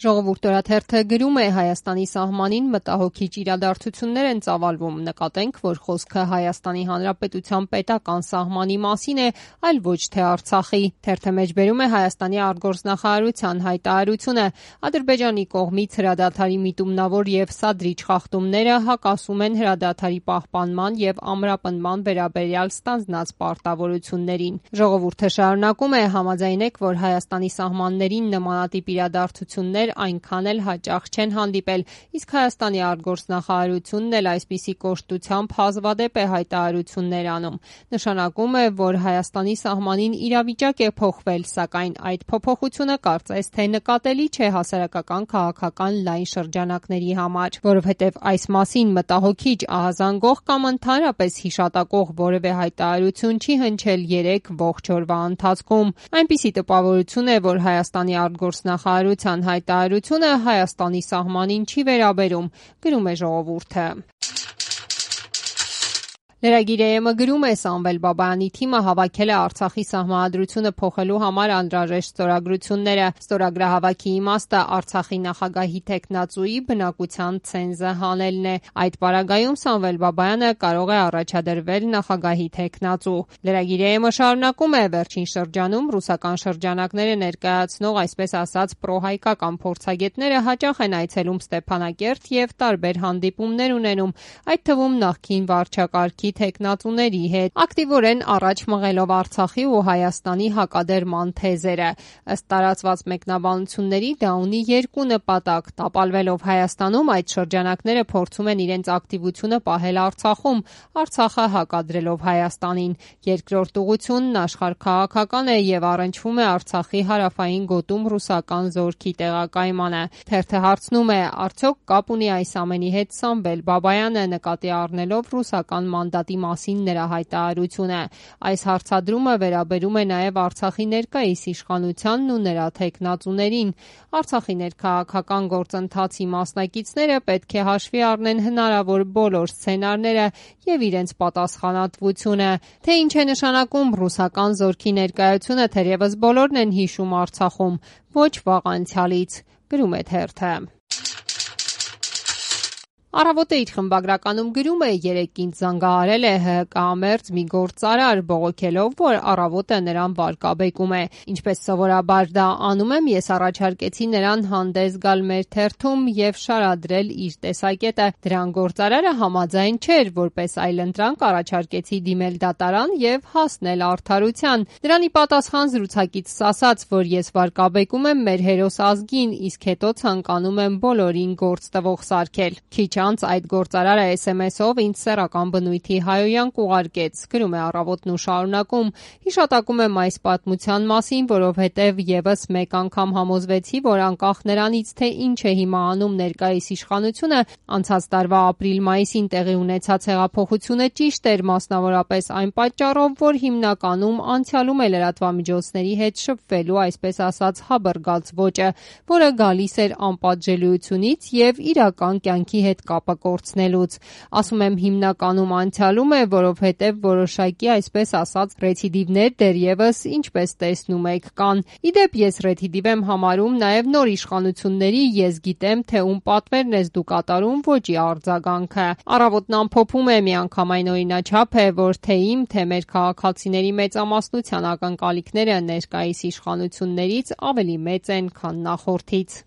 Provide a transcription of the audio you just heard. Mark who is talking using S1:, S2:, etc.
S1: Ժողովուրդ օրաթերթը գրում է Հայաստանի սահմանին մտահոգիչ իրադարձություններ են ծավալվում, նկատենք, որ խոսքը Հայաստանի Հանրապետության պետական սահմանի մասին է, այլ ոչ թե Արցախի։ Թերթը մեջբերում է Հայաստանի արտգործնախարարության հայտարարությունը. Ադրբեջանի կողմից հրադադարի միտումնավոր եւ սադրիչ խախտումները հակասում են հրադադարի պահպանման եւ ամրապնդման վերաբերյալ ստանձնած պարտավորություններին։ Ժողովուրդը շարունակում է համաձայնեք, որ Հայաստանի սահմաններին նմանատիպ իրադարձություններ այնքան էլ հաճախ չեն հանդիպել, իսկ Հայաստանի արտգործնախարարությունն էլ այսպիսի կոշտությամբ հազվադեպ է հայտարարություններ անում։ Նշանակում է, որ Հայաստանի սահմանին իրավիճակ է փոխվել, սակայն այդ փոփոխությունը կարծես թե նկատելի չէ հասարակական քաղաքական լայն շրջանակների համար, որովհետև այս մասին մտահոգիչ, ահազանգող կամ ընդհանրապես հիշատակող որևէ հայտարարություն չի հնչել 3 ողջ օրվա ընթացքում։ Այնպիսի տպավորություն է, որ Հայաստանի արտգործնախարարության հայտարարությունը Հայաստանի սահմանին չի վերաբերում, գրում է Ժողովուրդը։ Լրագիր.am գրում է Սամվել Բաբայանի թիմը հավաքել է Արցախի սահմանադրությունը փոխելու համար անհրաժեշտ ստորագրությունները։ Ստորագրահավաքի իմաստը Արցախի նախագահի թեկնածուի բնակության ցենզը հանելն է։ Այդ պարագայում Սամվել Բաբայանը կարող է առաջադրվել նախագահի թեկնածու։ Լրագիր.am շարունակում է վերջին շրջանում ռուսական շրջանակները ներկայացնող այսպես ասած պրոհայկական փորձագետները հաճախ են այցելում Ստեփանակերտ եւ տարբեր հանդիպումներ ունենում, այդ թվում նախկին վարչակարգի թեկնածուների հետ, ակտիվորեն առաջ մղելով Արցախի ու Հայաստանի հակադրման թեզերը։ Ըստ տարածված մեկնաբանությունների դա ունի երկու նպատակ՝ տապալվելով Հայաստանում այդ շրջանակները փորձում են իրենց ակտիվությունը պահել Արցախում, Արցախը հակադրելով Հայաստանին։ Երկրորդ ուղղությունն աշխարհաքաղաքական է եւ առնչվում է Արցախի հարավային գոտում ռուսական զորքի տեղակայմանը։ Թերթը հարցնում է. արդյոք կապ ունի այս ամենի հետ Սամվել Բաբայանը, նկատի առնելով ռուսական մանդատի մասին նրա հայտարարությունը։ Այս հարցադրումը վերաբերում է նաև Արցախի ներկայիս իշխանությանն ու նրա թեկնածուներին։ Արցախի ներքաղաքական գործընթացի մասնակիցները պետք է հաշվի առնեն հնարավոր բոլոր սցենարները եւ իրենց պատասխանատվությունը։ Թե ինչ է նշանակում ռուսական զորքի ներկայությունը, թերևս բոլորն են հիշում Արցախում, ոչ վաղ անցյալից, գրում է թերթը։ Առավոտը իր խմբագրականում գրում է. երեքինչ զանգահարել է ՀՀԿ-ամերձ մի գործարար, բողոքելով, որ առավոտը նրան վարկաբեկում է։ Ինչպես սովորաբար դա անում եմ, ես առաջարկեցի նրան հանդես գալ մեր թերթում եւ շարադրել իր տեսակետը։ Դրան գործարարը համաձայն չէր, որպես այլընտրանք առաջարկեցի դիմել դատարան եւ հասնել արդարության։ Դրանի պատասխան զրուցակիցս ասաց, որ ես վարկաբեկում եմ մեր հերոս ազգին, իսկ հետո ցանկանում եմ բոլորին գործ տվող սարքել։ Քիչ անց այդ գործարարը SMS-ով ինձ սեռական բնույթի հայոյանք ուղարկեց, գրում է Առավոտն ու շարունակում. հիշատակում եմ այս պատմության մասին, որովհետև եւս մեկ անգամ համոզվեցի, որ անկախ նրանից, թե ինչ է հիմա անում ներկայիս իշխանությունը, անցած տարվա ապրիլ-մայիսին տեղի ունեցած հեղափոխությունը ճիշտ էր, մասնավորապես այն պատճառով, որ հիմնականում անցյալում է լրատվամիջոցների հետ շփվելու այսպես ասած հաբռգած ոճը, որը գալիս էր անպատժելիությունից եւ իրական կյանքի հետ կապը կորցնելուց։ Ասում եմ հիմնականում անցյալում է, որովհետև որոշակի այսպես ասած ռեցիդիվներ դեռևս, ինչպես տեսնում եք, կան։ Իդեպ ես ռեցիդիվ եմ համարում նաև նոր իշխանությունների, ես գիտեմ, թե ում պատվերն ես դու կատարում, ոճի արձագանքը։ Առավոտն ամփոփում է միանգամայն օրինաչափ է, որ թե իմ, թե մեր քաղաքացիների մեծամասնության ակնկալիքները ներկայիս իշխանություններից ավելի մեծ են, քան նախորդից։